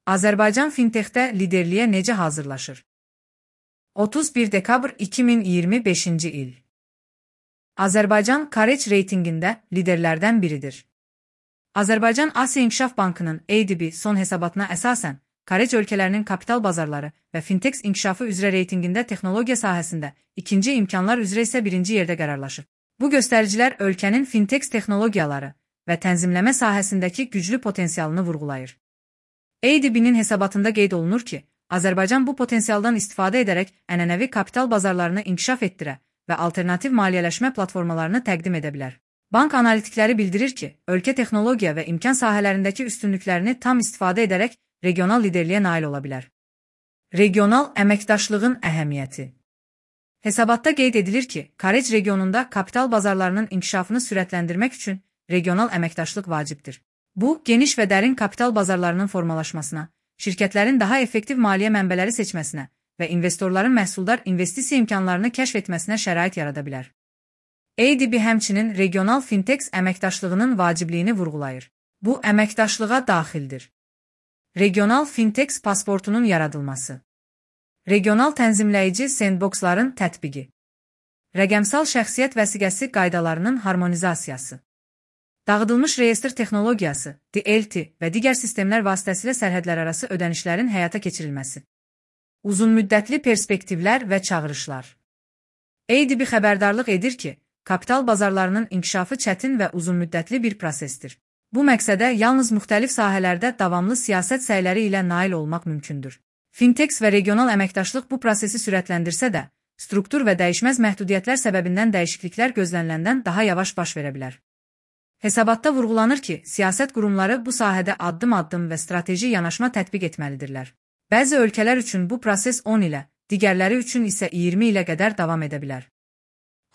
Azərbaycan fintexdə liderliyə necə hazırlaşır? 31 dekabr 2025-ci il. Azərbaycan Courage reytinqində liderlərdən biridir. Azərbaycan Asiya İnkişaf Bankının ADB son hesabatına əsasən, Courage ölkələrinin kapital bazarları və fintech inkişafı üzrə reytinqində texnologiya sahəsində, ikinci imkanlar üzrə isə birinci yerdə qərarlaşır. Bu göstəricilər ölkənin fintech texnologiyaları və tənzimləmə sahəsindəki güclü potensialını vurğulayır. ADB-nin hesabatında qeyd olunur ki, Azərbaycan bu potensialdan istifadə edərək ənənəvi kapital bazarlarını inkişaf etdirə və alternativ maliyyələşmə platformalarını təqdim edə bilər. Bank analitikləri bildirir ki, ölkə texnologiya və imkan sahələrindəki üstünlüklərini tam istifadə edərək regional liderliyə nail ola bilər. Regional əməkdaşlığın əhəmiyyəti. Hesabatda qeyd edilir ki, Courage regionunda kapital bazarlarının inkişafını sürətləndirmək üçün regional əməkdaşlıq vacibdir. Bu, geniş və dərin kapital bazarlarının formalaşmasına, şirkətlərin daha effektiv maliyyə mənbələri seçməsinə və investorların məhsuldar investisiya imkanlarını kəşf etməsinə şərait yarada bilər. ADB həmçinin regional fintech əməkdaşlığının vacibliyini vurğulayır. Bu, əməkdaşlığa daxildir. Regional fintech pasportunun yaradılması. Regional tənzimləyici sandboxların tətbiqi. Rəqəmsal şəxsiyyət vəsiqəsi qaydalarının harmonizasiyası. Dağıdılmış reyestr texnologiyası, DLT və digər sistemlər vasitəsilə sərhədlərarası ödənişlərin həyata keçirilməsi. Uzunmüddətli perspektivlər və çağırışlar. ADB xəbərdarlıq edir ki, kapital bazarlarının inkişafı çətin və uzunmüddətli bir prosesdir. Bu məqsədə yalnız müxtəlif sahələrdə davamlı siyasət səyləri ilə nail olmaq mümkündür. Fintech və regional əməkdaşlıq bu prosesi sürətləndirsə də, struktur və dəyişməz məhdudiyyətlər səbəbindən dəyişikliklər gözləniləndən daha yavaş baş verə bilər. Hesabatda vurğulanır ki, siyasət qurumları bu sahədə addım-addım və strateji yanaşma tətbiq etməlidirlər. Bəzi ölkələr üçün bu proses 10 ilə, digərləri üçün isə 20 ilə qədər davam edə bilər.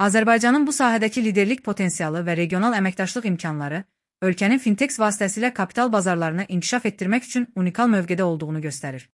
Azərbaycanın bu sahədəki liderlik potensialı və regional əməkdaşlıq imkanları, ölkənin fintech vasitəsilə kapital bazarlarını inkişaf etdirmək üçün unikal mövqedə olduğunu göstərir.